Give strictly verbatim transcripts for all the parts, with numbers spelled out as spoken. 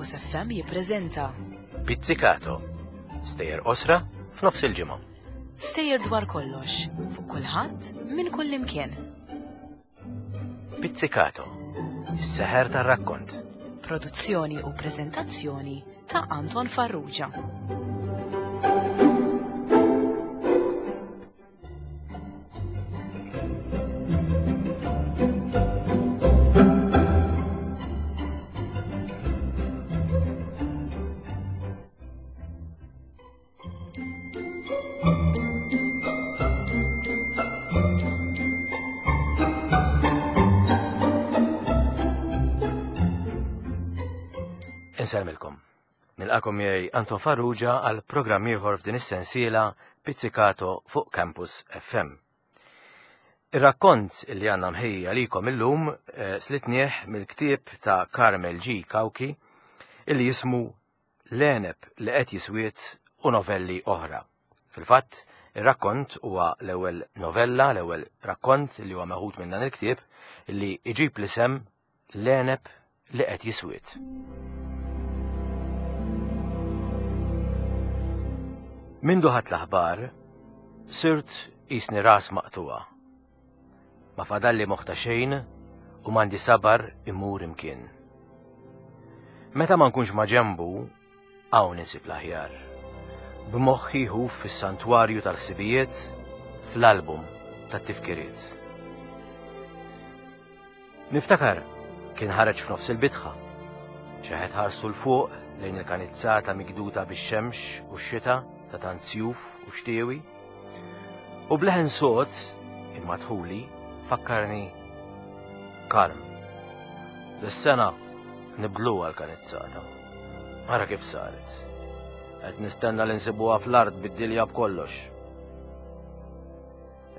Campus F M jippreżenta Pizzicato. Stejjer qosra f'nofs il-ġimgħa. Stejjer dwar kollox, fuq kulħadd, minn kull imkien. Pizzicato. Is-seħer tar-rakkont. Produzzjoni u preżentazzjoni ta' Anton Farrugia. Insellmilkom. Nilqakom miegħi Anton Farrugia għal programm ieħor f'din is-sensiela Pizzicato fuq Campus F M. Ir-rakkont li għandna mħejji għalikom illum eh, slitnieh mill-ktieb ta' Carmel G. Cauchi illi jismu L-Għeneb li qed jiswiet u novelli oħra. Fil-fatt, ir-rakkont huwa l-ewwel novella, l-ewwel rakkont li huwa meħud minn dan il-ktieb li iġib l-isem L-Għeneb li qed jiswiet. Mindu ħadt l-aħbar, sirt qisni ras maqtuwa. Ma fadalli moħħ ta' xejn u m'għandi sabar imur imkien. Meta ma nkunx ma' ġembu, hawn insib l-aħjar. B'moħħi ħuf fis-santwarju tal-ħsibijiet, fl-album tat-tifkiriet. Niftakar kien ħareġ f'nofs il-bitħa. Xeħet ħarsu l-fuq lejn il-kanizzata mikduta bix-xemx u x-xita ta' tant sjuf u xtiewi. U bleħen sod, imma dħuli, fakkarni kalm. Dis-sena nibdluha l-kanizzata. Ara kif saret. Qed nistenna li nsibuha fl-art bid-dilja b'kollox.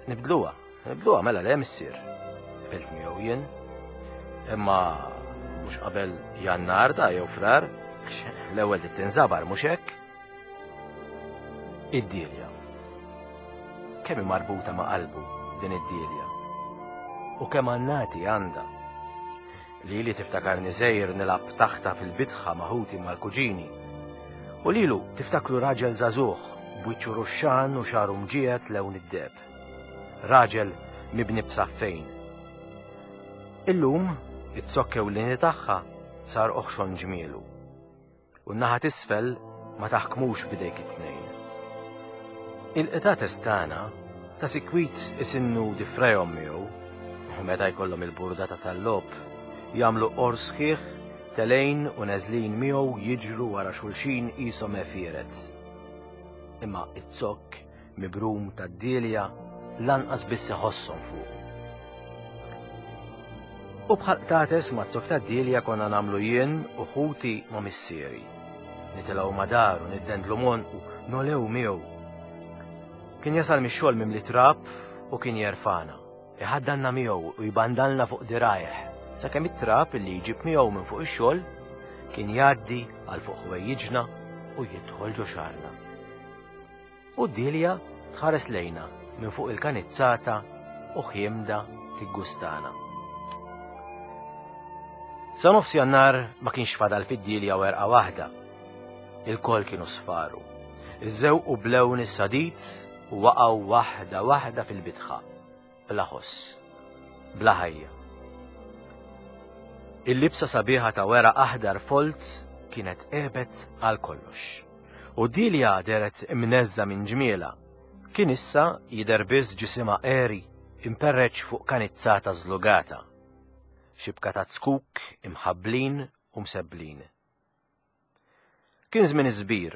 Nibdluha, nibdluha mela le missier. Qbilt miegħu jien. Imma mhux qabel Jannar da jew Frar, l-ewwel tinżabar mhux hekk? Id-dilja. Kemm hi marbuta ma' qalbu din id-dilja. U kemm annati għandha. Lili tiftakarni żgħir nilgħab taħta fil-bitħa ma' ħuti mal-kuġini. U lilu tiftakru raġel żagħżugħ b'wiċċu ruxxan u xagħru mġiegħed lewn id-deheb. Raġel mibni b'saffejn. Illum iz-zokk ewlieni tagħha sar oħxon ġmielu. U n-naħa t'isfel ma taħkmux b'idejk it-tnejn. Il-qtates tagħna ta' sikwit isinnu difrejhom miegħu, u meta jkollhom il-burdata tal-logħob jagħmlu qor sħiħ telejn u neżlin miegħu jiġru wara xulxin qishom għefieret. Imma iz-zokk mibrum tad-dilja lanqas biss iħosshom fuq. U bħal qtates ma' zokk tad-dilja konna nagħmlu jien u ħuti ma' missieri. Nitilgħu ma' daru, niddendlu monqu, nolew miegħu. Kien jasal mix-xogħol mimli trab u kien jerfana. Iħaddanna miegħu u jbandalna fuq dirajh, sakemm it-trab li jġib miegħu minn fuq ix-xogħol kien jgħaddi għal fuq ħwejjiġna u jidħol ġo xagħarna. U d-dilja tħares lejna minn fuq il-kanizzata u ħiemda tiggustana. Sa nofs Jannar ma kienx fadal fid-dilja werqa waħda. Il-koll kienu sfaru. Iżżewqu blewn is-sadid u waqgħu waħda waħda fil-bitħa. Bla ħoss, bla ħajja. Il-libsa sabiħa ta' weraq aħdar folt kienet għebet għal kollox. U dilja deret imneżża minn ġmiela. Kien issa jidher biss ġisimha għeri imperreċ fuq kanizzata żlugata. Xibka ta' zkuk imħabblin u msebblin. Kien żmien iż-żbir.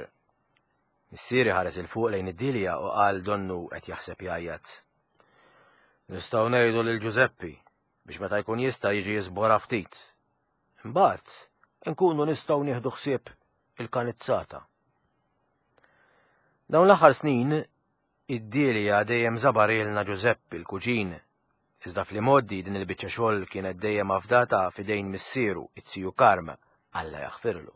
Missieri ħares il fuq lejn id-dilja u qal donnu qed jaħseb jgħajjat. Nistgħu ngħidu lil Ġużeppi biex meta jkun jista' jiġi jiżbora ftit. Imbagħad inkunu nistgħu nieħdu ħsieb il-kanizzata. Dawn l-aħħar snin id-dilja dejjem żabarilna Ġużeppi l-kuġin. Iżda fl-imgħoddi din il-biċċa xogħol kienet dejjem afdata f'idejn missieru, it-siju Karm, Alla jaħfirlu.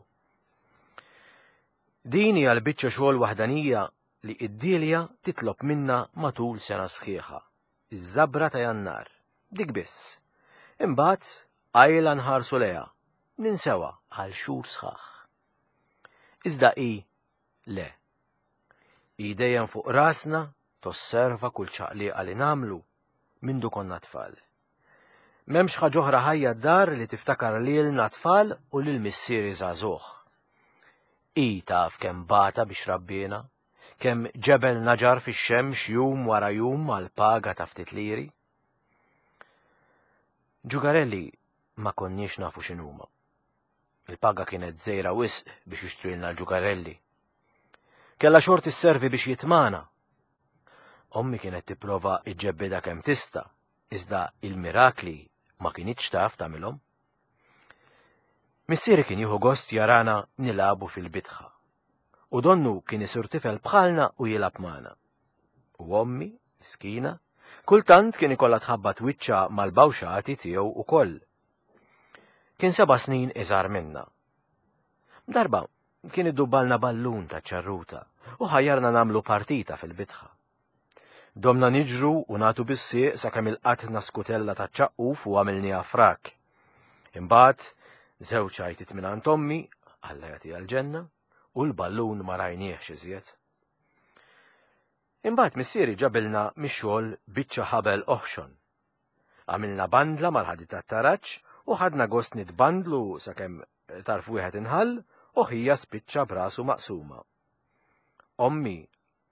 Din hija l-biċċa xogħol waħdanija li id-dilja titlob minna matul sena sħiħa, iż-żabra ta' Jannar, dik biss. Imbagħad qajla nħarsu lejha, ninsewha għal xhur sħaħ. Iżda hi le. Hi dejjem fuq rasna tosserva kull ċaqliqa li nagħmlu mindu konna tfal. M'hemmx ħaġa oħra ħajja d-dar li tiftakar lilna tfal u lil missieri żagħżugħ. Hi taf kemm bata biex rabbina, kemm ġebel naġar fix-xemx jum wara jum għal paga ta' ftit liri. Ġugarelli ma konniex nafu x'inhuma. Il-paga kienet żgħira wisq biex jixtrilna l-ġugarelli. Kella xorti sservi biex jitmana. Ommi kienet tipprova iġġebbida kemm tista', iżda il-mirakli ma kinitx taf tagħmilhom. Missieri kien jieħu gost jarana nilagħbu fil-bitħa. U donnu kien isir tifel bħalna u jilgħab magħna. U ommi, miskina, kultant kien ikollha tħabbat wiċċha mal-bawxati tiegħu ukoll. Kien seba' snin iżgħar minna. Darba kien iddubbalna ballun ta' ċarruta u ħajjarna nagħmlu partita fil-bitħa. Domna niġru u nagħtu bis-sieq sakemm ilqatna skutella ta' ċaqquf u għamilniha frak. Imbagħad żewġ għajtiet mingħand ommi, Alla jagħtiha l-ġenna, u l-ballun ma rajniehx iżjed. Imbagħad missieri ġabilna mix-xogħol biċċa ħabel oħxon. Għamilna bandla mal-ħadid tat-taraġ u ħadna gost nitbandlu sakemm tarf wieħed inħall u ħija spiċċa brasu maqsuma. Ommi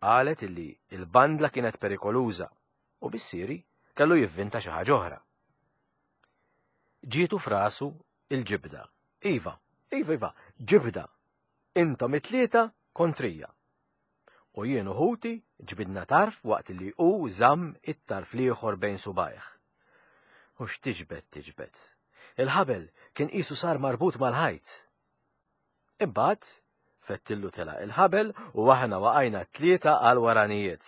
qalet illi il-bandla kienet perikoluża u missieri kellu jivvinta xi ħaġa oħra. Ġietu frasu il-ġibda. Iva, iva, iva, ġibda. Intom it-tlieta kontrija. U jien u ħuti ġbidna tarf waqt li hu żamm it-tarf l-ieħor bejn subajh. U x'tiġbed tiġbed. Il-ħabel kien qisu sar marbut mal-ħajt. Imbagħad fettillu tela il-ħabel u aħna waqajna tlieta għal waranijiet.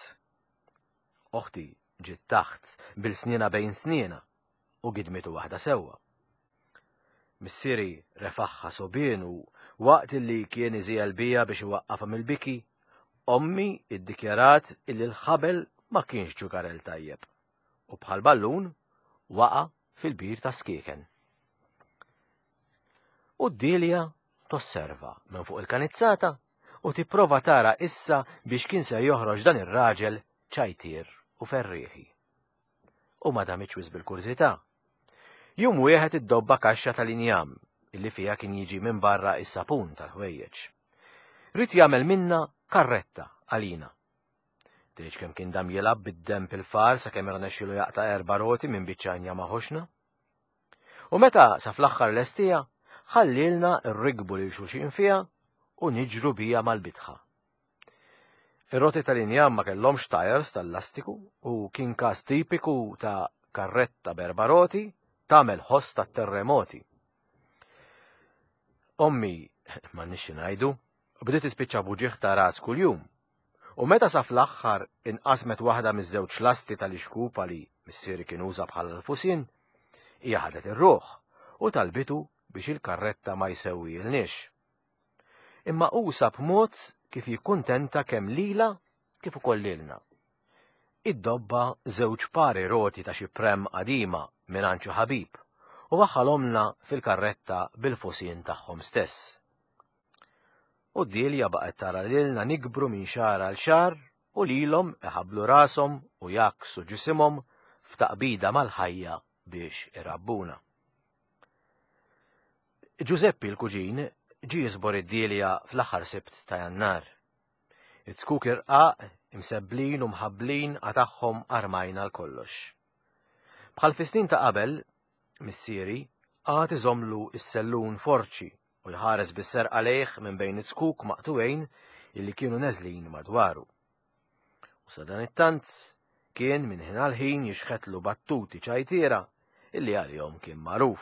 Oħti ġiet taħt bil-snina bejn snina u gidmitu waħda sewwa. Missieri refaħħa sobien u waqt li kien iżiel bija biex iwaqqafha mill-biki, ommi iddikjarat illi l-ħabel ma kienx ġugarel tajjeb u bħal ballun waqa' fil-bir ta' skieken. U d-Dilja tosserva minn fuq il-kanizzata u tipprova tara issa biex kien se joħroġ dan ir-raġel ċajtier u ferrieħi. U ma damitx wisq bil-kurżità. Jum wieħed iddobba kaxxa tal-injam illi fiha kien jiġi minn barra is-sapun tal-ħwejjeġ. Ried jagħmel minna karretta għalina. Tgħidx kemm kien dam jilgħab bid-demb il-far sakemm irnexxielu jaqta' erba' roti minn biċċa injama ħoxna. U meta sa fl-aħħar lestija, ħallilna rrigbu lil xulxin fiha u niġru bija mal-bitħa. Ir-roti tal-injam ma kellhomx tires tal-lastiku u kien każ tipiku ta' karretta b'erba' roti tagħmel ħoss tat-terremoti. Ommi, m'għandniex xi ngħidu, bdiet tispiċċa b'uġigħ ta' ras kuljum. U meta sa fl-aħħar inqasmet waħda miż-żewġ lasti tal-ixkupa li missieri kien uża bħala l-fusien, hija ħadet ir-ruħ u talbitu biex il-karretta ma jsewwielniex. Imma hu sab mod kif jikkuntenta kemm lila kif ukoll lilna. Iddobba żewġ pari roti ta' xi prem qadima mingħand xi ħabib u waħħalhomlna fil-karretta bil-fusien tagħhom stess. U d-Dilja baqgħet tara lilna nikbru minn xahar għal xahar u lilhom iħabblu rashom u jaksu ġisimhom f'taqbida mal-ħajja biex irabbuna. Giuseppi l-kuġin ġie jiżbor id-Dilja fl-aħħar Sibt ta' Jannar. It-zkuk irqaq, imsebblin u mħabblin qatagħhom armajna l-kollox. Bħal fi snin ta' qabel, missieri qagħad iżomlu s-sellun forċi u jħares bis-serqa lejh minn bejn it-zkuk maqtuwejn illi kienu neżlin madwaru. U sadanittant kien minn ħin għal ħin jixħetlu battuti ċajtiera illi għalihom kien magħruf.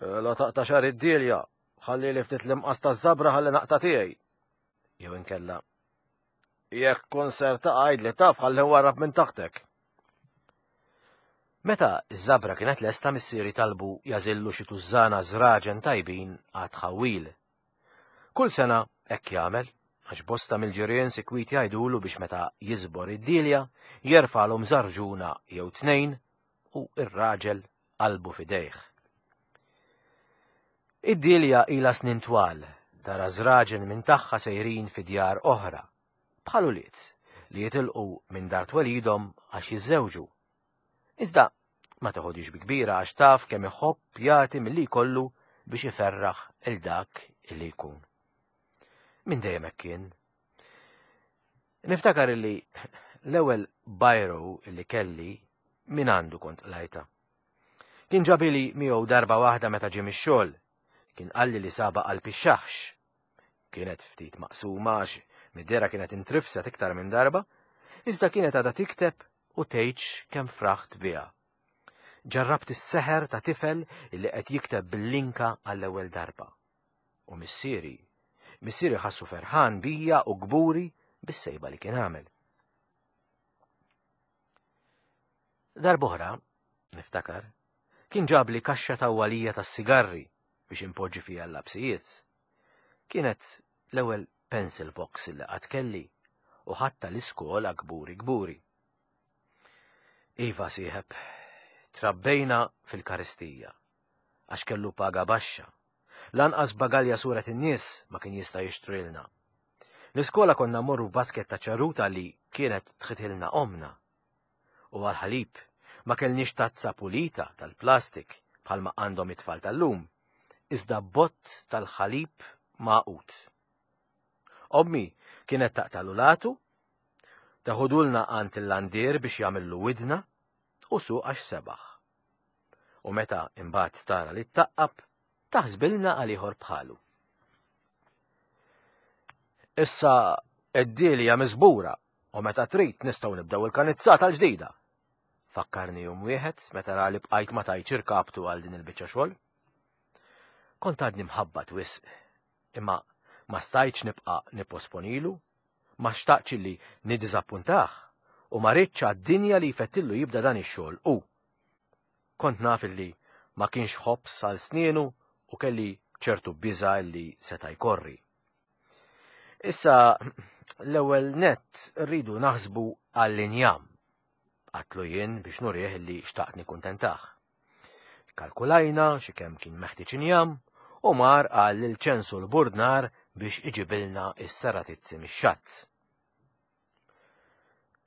La taqta' xagħar id-Dilja, ħalli li ftit l-imqas taż-żabra ħalli naqta' tiegħi. Jew inkella, jekk kun ser taqgħid li taf ħalli nwarrab minn taħtek. Meta ż-żabra kienet lesta missieri talbu jażillu xi tużżana żraġen tajbin għat-tħawwil. Kull sena hekk jagħmel, għax bosta mill-ġirien sikwit jgħidulu biex meta jiżbor id-Dilja jerfalhom żarġuna jew tnejn u r-raġel qalbu f'idejh. Id-Dilja ilha snin twal Tara żraġen minn tagħha sejrin fi djar oħra, bħal ulied li jitilqu minn dar twelidhom għax jiżżewġu. Iżda ma teħodix bi kbira għax taf kemm iħobb jagħti milli jkollu biex iferraħ il dak illi jkun. Minn dejjem hekk kien. Niftakar illi l-ewwel biro illi kelli minn għandu kont qlajta. Kien ġabili miegħu darba waħda meta ġie mix-xogħol. Kien qalli li saba qalb ix-xaħx. Kienet ftit maqsuma għax mid-dera kienet intrifset iktar minn darba, iżda kienet għadha tikteb u tgħidx kemm fraħt biha. Ġarrabt is-seħer ta' tifel illi qed jikteb bil-linka għall-ewwel darba. U missieri, missieri ħassu ferħan bija u kburi bis-sejba li kien għamel. Darb'oħra, niftakar, kien ġabli kaxxa tawwalija tas-sigarri biex impoġġi fiha l-lapsijiet. Kienet l-ewwel pencil box li qatt kelli u ħatta l-iskola kburi kburi. Iva sieħeb, trabbejna fil-karistija, għax kellu paga baxxa. Lanqas bagalja suret in-nies ma kien jista' jixtrilna. L-iskola konna mmorru basket ta' ċarruta li kienet tħitilna omna. U għal-ħalib ma kellniex tazza pulita tal-plastik bħalma għandhom it-tfal tal-lum, iżda bott tal-ħalib magħqud. Ommi kienet taqtalu latu, taħudulna għand il-landier biex jagħmillu widna u suq għax sebaħ. U meta imbagħad tara li ttaqqab, taħsbilna għal ieħor bħalu. Issa id-dielja miżbura u meta trid nistgħu nibdew il-kanizzata l-ġdida. Fakkarni jum wieħed meta ra li bqajt ma tajtx irkabtu għal din il-biċċa xogħol. Kont għadni mħabbat wisq, imma ma stajtx nibqa' nipposponilu, ma xtaqtx li niddiżappuntah u ma ridtx għad-dinja li jfettillu jibda dan ix-xogħol u. Kont naf illi ma kienx ħobż għal snienu u kelli ċertu biża' li seta' jkorri. Issa l-ewwel nett rridu naħsbu għall-injam. Għatlu jien biex nurih li xtaqt nikkuntentah. Kalkulajna xi kemm kien meħtieġ injam u mar qal lil ċensu l-burdnar biex iġibilna s-saratizzi mix-xatt.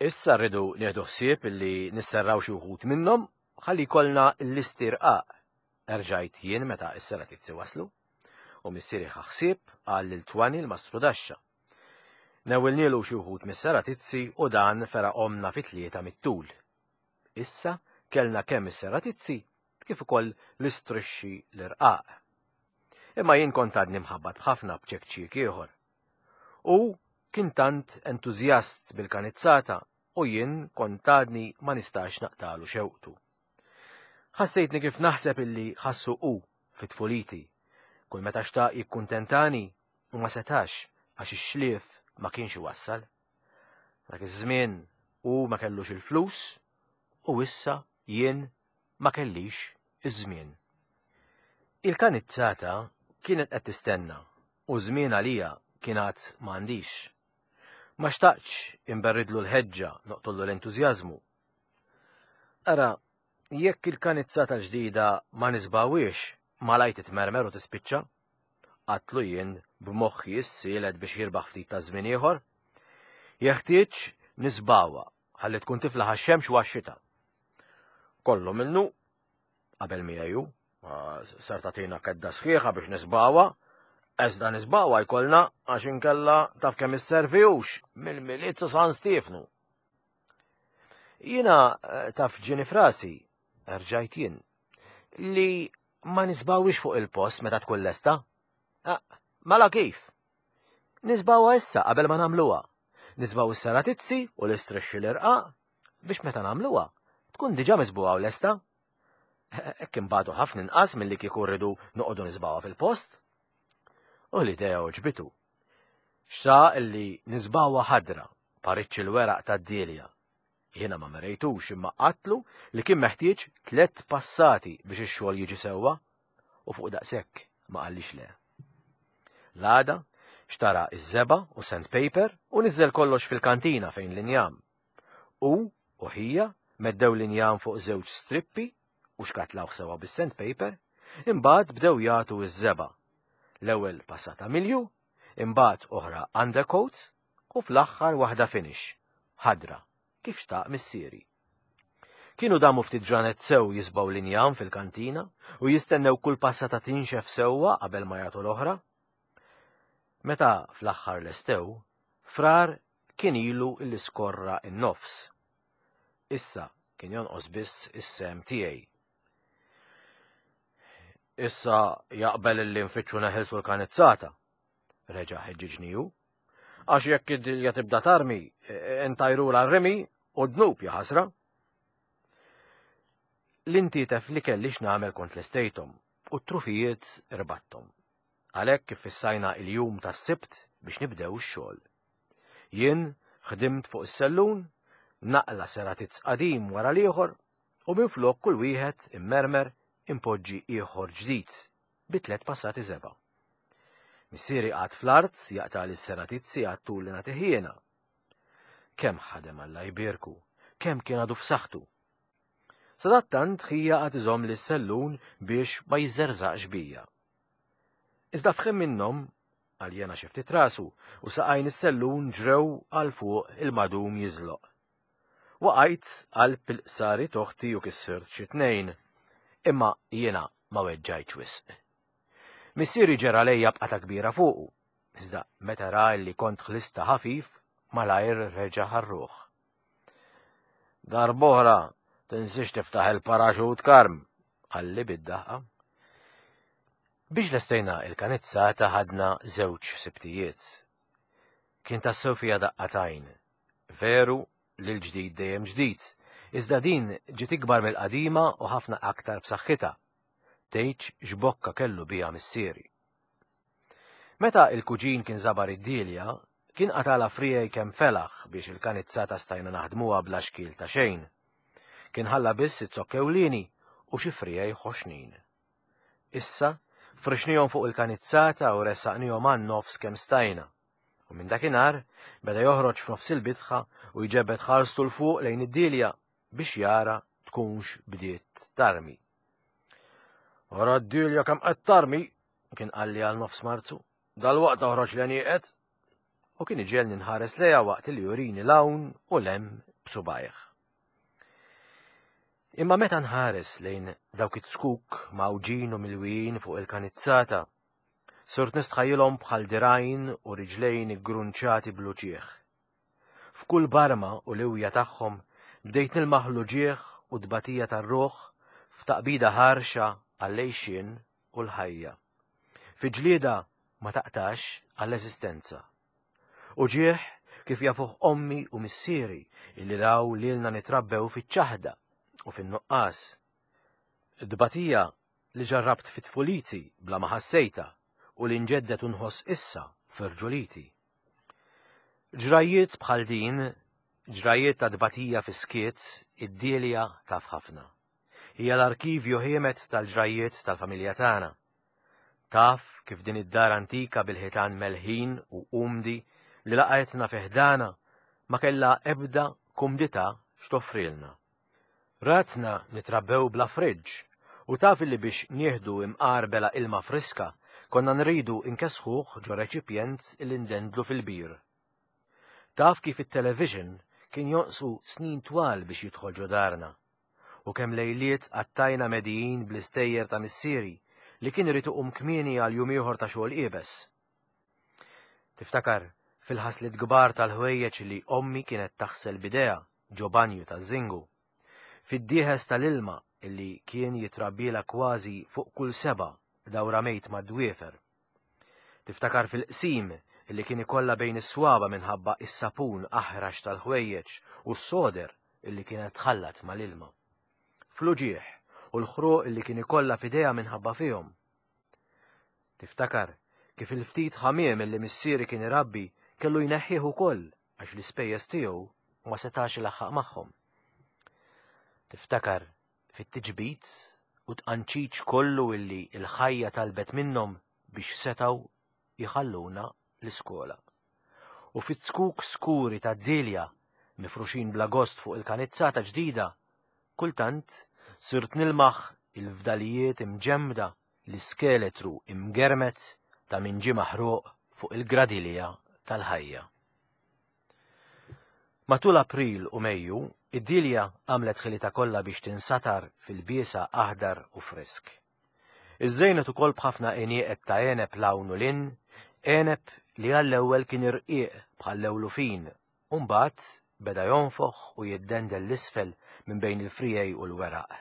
Issa rridu nieħdu ħsieb illi nisserraw xi wħud minnhom ħalli jkollna l-istirqaq. Erġajt jien meta s-saratizzi waslu u missieri ħa ħsieb qal lil Twani l-mastrudaxxa. Newwilnielu xi wħud mis-saratizzi u dan feraqhomna fi tlieta mit-tul. Issa kellna kemm is-saratizzi kif ukoll l-istrixxi l-irqaq. Imma jien kont għadni mħabbat b'ħafna b'ċekċiek ieħor. U kien tant entużjast bil-kanizzata u jien kont għadni ma nistax naqtalu xewqtu. Ħassejtni kif naħseb illi ħassu hu fit-tfuliti. Kull meta xtaq jikkuntentani u ma setax għax ix-xlief ma kienx iwassal. Dak iż-żmien hu ma kellux il-flus u issa jien ma kellix iż-żmien. Il-kanizzata kienet qed tistenna u żmien għalija kien għad m'għandix. Ma xtaqtx imberridlu l-ħeġġa noqtollu l-entużjażmu. Ara, jekk il-kanizzata l-ġdida ma nisbawiex, malajt titmermer u tispiċċa. Għatlu jien b'moħħi issielet biex jirbaħ ftit ta' żmien ieħor. Jeħtieġ nisbawha ħalli tkun tiflaħ għax-xemx u għax-xita. Kollu minnu qabel miegħu, sar tagħtina kedda sħiħa biex nisbawha, iżda nisbawha jkollna għax inkella taf kemm isservihux mill-Milied sa San Stiefnu. Jiena taf ġieni frasi, rġajt jien, li ma nisbawix fuq il-post meta tkun lesta. Ah, mela kif? Nisbawha issa qabel ma nagħmluha. Nisbaw is-saratizzi u l-istrixxi l-irqaq biex meta nagħmluha tkun diġà misbuha u lesta. Hekk imbagħdu ħafna inqas milli kieku rridu noqogħdu nisbawha fil-post. U l-idea għoġbitu. Xtaq illi nisbawha ħadra pariċċi l-weraq tad-dielja. Jiena ma merejtux imma qatlu li kien meħtieġ tliet passati biex ix-xogħol jiġi sewwa u fuq daqshekk ma qallix le. L-għada xtara iż-żebgħa u sandpaper u niżel kollox fil-kantina fejn l-injam. U u ħija meddew l-injam fuq żewġ strippi u xkatlawh sewwa bis-sandpaper, imbagħad bdew jagħtu iż-żebgħa. L-ewwel passata milju, imbagħad oħra undercoat u fl-aħħar waħda finish, ħadra, kif xtaq missieri. Kienu damu ftit ġranet sew jisbaw l-injam fil-kantina u jistennew kull passata tinxef sewwa qabel ma jagħtu l-oħra. Meta fl-aħħar lestew, Frar kien ilu l-iskorra in-nofs. Issa kien jonqos biss is-sem tiegħi. Issa jaqbel illi nfittxu neħilsu l-kanizzata, reġa' ħeġġiġni hu. Għax jekk id-dilja tibda tarmi, intajru l-rimi u dnub jaħasra. L-intitef li kelli x'nagħmel kont lestejthom u t-trufijiet irbattom. Għalhekk kif fissajna il-jum tas-Sibt biex nibdew ix-xogħol. Jien ħdimt fuq is-sellun, naqla seratizz qadim wara l-ieħor u minflok kull wieħed immermer impoġġi ieħor ġdid bi tliet passati żebgħa. Missieri qagħad fl-art jaqta' lis-seratizzi għat-tul li nagħtih jiena. Kemm ħadem Alla jbierku, kemm kien għadu f'saħħtu. Sadattant ħija qagħad iżomm lis-sellun biex ma jiżerżaqx bija. Iżda f'ħin minnhom għaljena xi ftit rasu u saqajn is-sellun ġrew għal fuq il-madum jiżloq. Waqajt qalb il-qsari toħti u kissirt xi tnejn, imma jiena ma weġġajtx wisq. Missieri ġera lejja b'qata kbira fuqu, iżda meta ra li kont ħlista ħafif malajr reġa' ħarruh. Darb'oħra tinsiex tiftaħ il-paraxut Karm, qalli bid-daħqa. Biex lestejna il-kanizzata ħadna żewġ sibtijiet. Kien tassew fija daqqatajn. Veru li l-ġdid dejjem ġdid, iżda din ġiet ikbar mill-qadima u ħafna aktar b'saħħitha. Tgħidx x'bokka kellu biha missieri. Meta il-kuġin kien żabar id-dilja, kien qatala frijej kemm felaħ biex il-kanizzata stajna naħdmuha bla xkiel ta' xejn. Kien ħalla biss it-zokkewlini u xi frijej ħoxnin. Issa frixnihom fuq il-kanizzata u ressaqnihom għan-nofs kemm stajna. U minn dakinhar beda joħroġ f'nofs il-bitħa u jġebbed ħarstu l fuq lejn id-dilja biex jara tkunx bdiet tarmi. Ora d-dilja kemm qed tarmi, kien qalli għal nofs Marzu, dalwaqt toħroġ l-għenieqed. U kien iġelni nħares lejha waqt li jurini l-hawn u l-hemm b'subgħajh. Imma meta nħares lejn dawk it-skuk mawġin u milwijin fuq il-kanizzata, sirt nistħajjilhom bħal dirgħajn u riġlejn iggrunċati bl-uġigħ. F'kull barma u liwja tagħhom bdejt nilmaħ l-uġigħ u tbatija tar-ruħ f'taqbida ħarxa għall-għejxien u l-ħajja. Fi ġlieda ma taqtax għall-eżistenza. Uġigħ kif jafuh ommi u missieri illi raw lilna nitrabbew fiċ-ċaħda u fin-nuqqas. Tbatija li ġarrabt fit-tfuliti bla ma ħassejta u li nġeddet u nħoss issa f'irġuliti. Ġrajiet bħal din, ġrajiet ta' tbatija fis-skiet, id-dilja taf ħafna. Hija l-arkivju ħiemet tal-ġrajiet tal-familja tagħna. Taf kif din id-dar antika bil-ħitan melħin u umdi li laqgħetna fi ħdana ma kellha ebda kumdità x'toffrilna. Ratna nitrabbew bla friġġ u taf li biex nieħdu imqar bela ilma friska konna nridu inkesħuh ġo reċipjent li ndendlu fil-bir. Taf kif it-television kien jonqsu snin twal biex jidħol ġo darna u kemm lejliet qattajna medijin bl-istejjer ta' missieri li kien irid iqum kmieni għal jum ieħor ta' xogħol iebes. Tiftakar fil-ħasliet kbar tal-ħwejjeġ li ommi kienet taħsel b'idejha ġo banju taż-żingu. Fid-dieħes tal-ilma illi kien jitrabbila kważi fuq kull seba' dawra mejt mad-dwiefer. Tiftakar fil-qsim illi kien ikollha bejn is-swaba minħabba is-sapun aħrax tal-ħwejjeġ u s-soder illi kienet tħallat mal-ilma. Fl-uġigħ u l-ħruq illi kien ikollha f'idejha minħabba fihom. Tiftakar kif il-ftit ħamiem illi missieri kien irabbi kellu jneħħih ukoll għax l-ispejjeż tiegħu ma setax ilaħħaq magħhom. Tiftakar fit-tiġbid u tqanċiċ kollu illi l-ħajja talbet minnhom biex setgħu jħalluna l-iskola. U fit-skuk skuri tad-dilja mifruxin bla gost fuq il-kanizzata ġdida, kultant sirt nilmaħ il-fdalijiet imġemmda, l-iskeletru imgermet ta' min ġie maħruq fuq il-gradilja tal-ħajja. Matul April u Mejju, id-Dilja għamlet ħilitha kollha biex tinsatar fil-biesa aħdar u frisk. Iżżejnet ukoll b'ħafna għenieqed ta' għeneb 'l hawn u 'l hinn, għeneb li għall-ewwel kien irqiq bħal-lewlufin, u mbagħad beda jonfoħ u jiddendel 'l isfel minn bejn il-friegħi u l-weraq.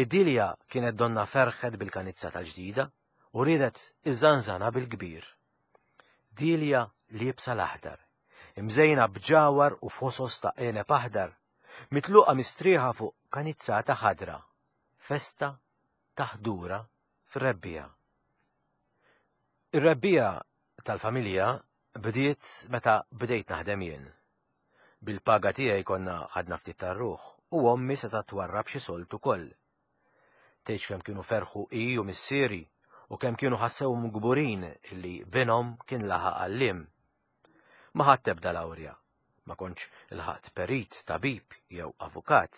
Id-Dilja kienet donna ferħet bil-kanizza tal-ġdida u riedet iżżanżana bil-kbir. Dilja liebsa l-aħdar, imżejna b'ġawar u fosos ta' għeneb aħdar, mitluqa mistrieħa fuq kanizzata ħadra, festa ta' ħdura fir-rebbiegħa. Ir-rebbiegħa tal-familja bdiet meta bdejt naħdem jien. Bil-paga tiegħi konna ħadna ftit tar-ruħ u ommi setgħet twarrab xi sold ukoll. Tgħidx kemm kienu ferħu hi u missieri u kemm kienu ħassewhom kburin illi binhom kien laħaq għalliem. Ma ħadt ebda lawrja, ma kontx ilħaqt perit, tabib jew avukat.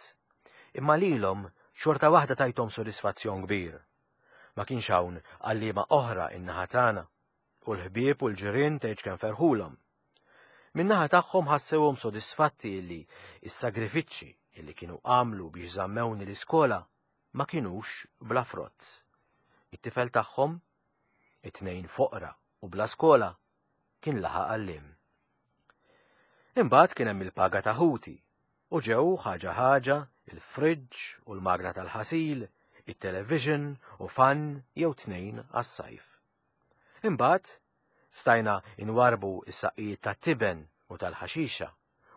Imma lilhom xorta waħda tajthom sodisfazzjon kbir. Ma kienx hawn għalliema oħra in-naħa tagħna u l-ħbieb u l-ġirien tgħidx kemm ferħulhom. Min-naħa tagħhom ħassewhom sodisfatti illi s-sagrifiċċji illi kienu għamlu biex żammewni l-iskola ma kinux bla frott. It-tifel tagħhom, it-tnejn foqra u bla skola, kien laħaq għalliem. Imbagħad kien hemm il-paga ta' ħuti u ġew ħaġa ħaġa il-fridge u l-magna tal-ħasil, it-television u fan jew tnejn għas-sajf. Imbagħad stajna inwarbu is-saqqijiet tat-tiben u tal-ħaxixa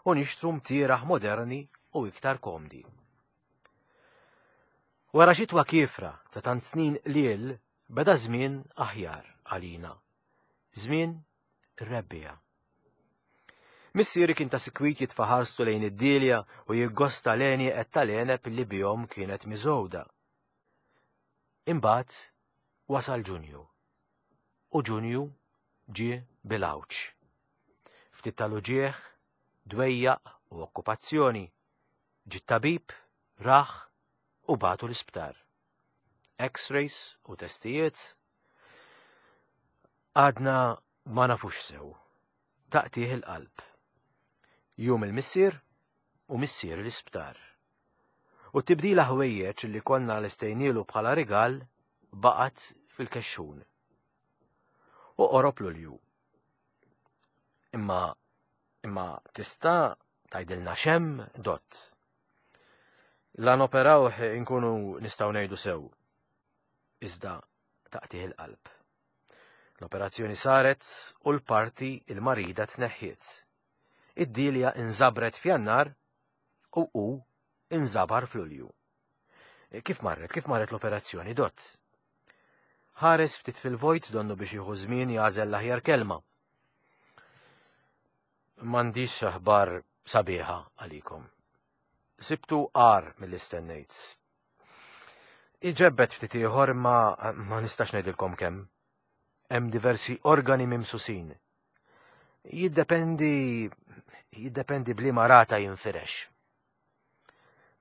u nixtru mtieraħ moderni u iktar komdi. Wara xitwa kiefra ta' tant snin qliel beda żmien aħjar għalina. Żmien ir-rebbiegħa. Missieri kien ta' sikwit jitfa' ħarstu lejn id-Dilja u jiggosta l-għenieqed tal-għeneb li bihom kienet miżgħuda. Imbagħad wasal Ġunju. U Ġunju ġie bil-għawġ. Ftit tal-uġigħ, dwejjaq u okkupazzjoni. Ġie tabib, raħ u bagħtu l-isptar. X-rays u testijiet. Għadna ma nafux sew. Taqtigħ il-qalb. Jum il-missier u missier l-isptar. U tibdila ħwejjeġ li konna lestejnielu bħala rigal baqgħet fil-kexxun. U qorob Lulju. Imma imma tista' tgħidilna x'hemm, dott. La noperawh inkunu nistgħu ngħidu sew. Iżda taqtigħ il-qalb. L-operazzjoni saret u l-parti il-marida tneħħiet. Id-Dilja inżabret f'Jannar u hu inżabar f'Lulju. Kif marret, kif marret l-operazzjoni, dott? Ħares ftit fil-vojt donnu biex jieħu żmien jagħżel l-aħjar kelma. M'għandix aħbar sabiħa għalikom. Sibtu agħar milli stennejt. Iġebbet ftit ieħor imma ma nistax ngħidilkom kemm. Hemm diversi organi mimsusin. Jiddependi jiddependi b'liema rata jinfirex.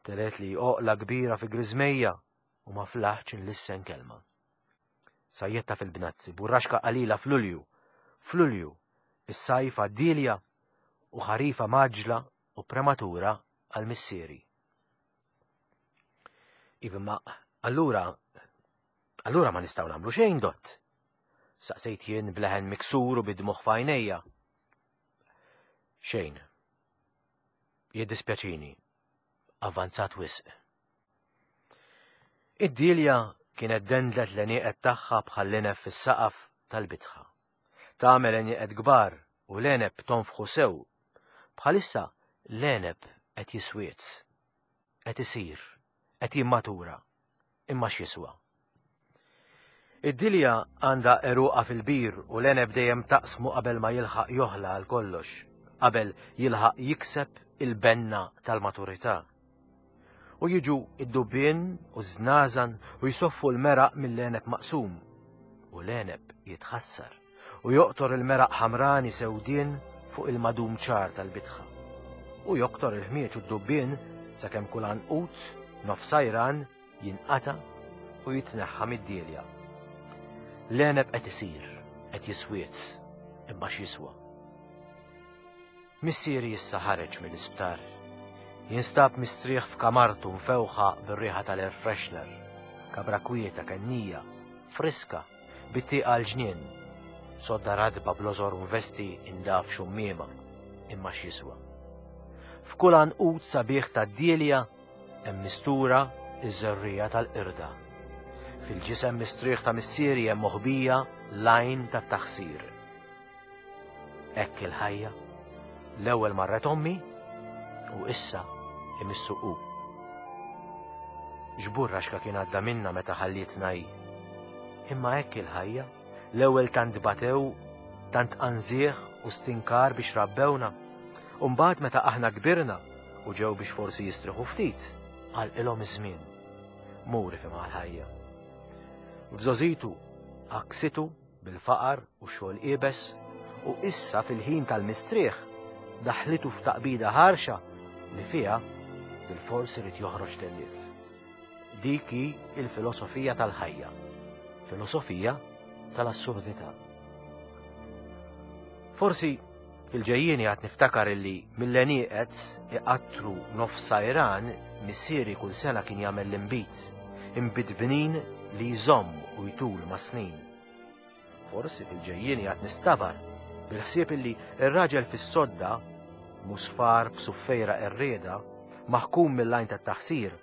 Telet li oqla kbira fi griżmejja u ma flaħx inlissen kelma. Sajjetta fil-bnazzi, burraxka qalila f'Lulju, f'Lulju, is-sajf għad-Dilja u ħarifa maġla u prematura għal missieri. Iva, ma allura, allura ma nistgħu nagħmlu xejn, dott. Saqsejt jien bleħen miksur u bid-dmugħ f'għajnejja. Xejn. Jiddispjaċini. Avvanzat wisq. Id-Dilja kienet dendlet l-għenieqed tagħha bħal-lenef fis-saqaf tal-bitħa. Tagħmel għenieqed kbar u l-għeneb tonfħu sew. Bħalissa l-għeneb qed jiswiet, qed isir, qed jimmatura, imma x'jiswa. Id-Dilja għandha għeruqha fil-bir u l-għeneb dejjem taqsmu qabel ma jilħaq joħla għal kollox, qabel jilħaq jikseb il-benna tal-maturità. U jiġu id-dubbien u ż-żnażan u jsoffu l-meraq mill-għeneb maqsum. U l-għeneb jitħassar u joqtor il-meraq ħamrani sewdien fuq il-madum ċar tal-bitħa. U joktor il-ħmieġ u d-dubbien sakemm kull għanqud nofsajran jinqata u jitneħħa mid-Dilja. L-għeneb qed isir, qed jiswiet, imma x'jiswa. Missieri issa ħareġ mill-isptar. Jinstab mistrieħ f'kamartu mfewħa bir-riħa tal-air freshener. Kabra kwieta kennija, friska, bit-tieqa l-ġnien. Sodda radba bl-ożor vesti indaf xummiema, imma x'jiswa. F'kull għanqud sabiħ tad-dielja hemm mistura iż-żerrija tal-qirda. Fil-ġisem mistrieħ ta' missieri hemm moħbija l-għajn tat-taħsir. Hekk il-ħajja. L-ewwel marret ommi u issa imissu hu. X'burraxka kien għadda minna meta ħallietna hi. Imma hekk il-ħajja, l-ewwel tant batew, tant anżieħ u stinkar biex rabbewna. U mbagħad meta aħna kbirna u ġew biex forsi jistrieħu ftit, għalqilhom iż-żmien. Muri fi l-ħajja. F'żożitu għaksitu bil-faqar u xogħol iebes u issa fil-ħin tal-mistrieħ daħlitu f'taqbida ħarxa li fiha bil-fors irid joħroġ tellief. Dik hi il-filosofija tal-ħajja, filosofija tal-assurdità. Forsi fil-ġejjieni għad niftakar illi mill-għenieqed iqattru nofs sajran missieri kull sena kien jagħmel l-inbid, inbid bnin li jżomm u jtul ma' snin. Forsi fil-ġejjieni għad nistabar bil-ħsieb illi ir-raġel fis-sodda musfar b'suffejra qerrieda maħkum mill-għajn tat-taħsir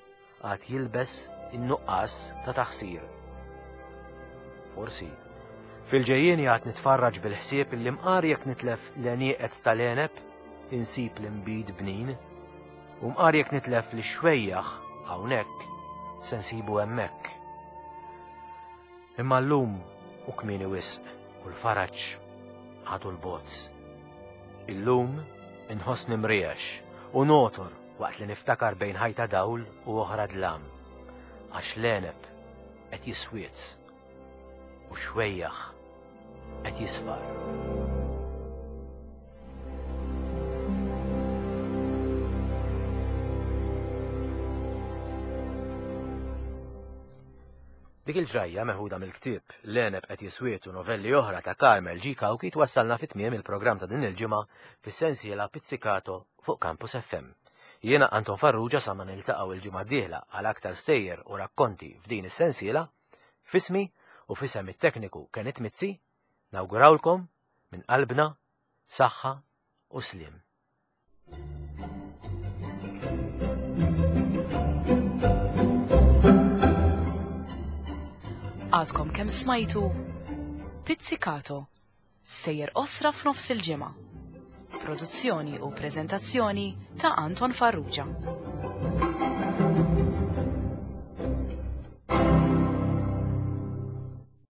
għad jilbes in-nuqqas ta' taħsir. Forsi fil-ġejjieni għad nitfarraġ bil-ħsieb illi mqar jekk nitlef l-għenieqed tal-għeneb insib l-inbid bnin u mqar jekk nitlef l-xwejjaħ hawnhekk se nsibu hemmhekk. Imma llum u kmieni wisq u l-faraġ għadu l-bot. Illum inħossni mriex u notor waqt li niftakar bejn ħajta dawl u oħra dlam. Għax l-għeneb qed jiswiet u xwejjaħ qed jisfar. Dik il-ġrajja meħuda mill-ktieb L-għeneb qed jiswiet u novelli oħra ta' Carmel G. Cauchi twassalna fi tmiem il-programm ta' din il-ġimgħa fis-sensiela Pizzicato fuq Campus F M. Jiena Anton Farrugia sa ma niltaqgħu il-ġimgħa d-dieħla għal aktar stejjer u rakkonti f'din is-sensiela, fismi u fisem it-tekniku Kenneth Mizzi, nawgurawlkom minn qalbna saħħa u sliem. Għadkom kemm smajtu Pizzicato, sejjer osra f'nofs il-ġimgħa. Produzzjoni u preżentazzjoni ta' Anton Farrugia.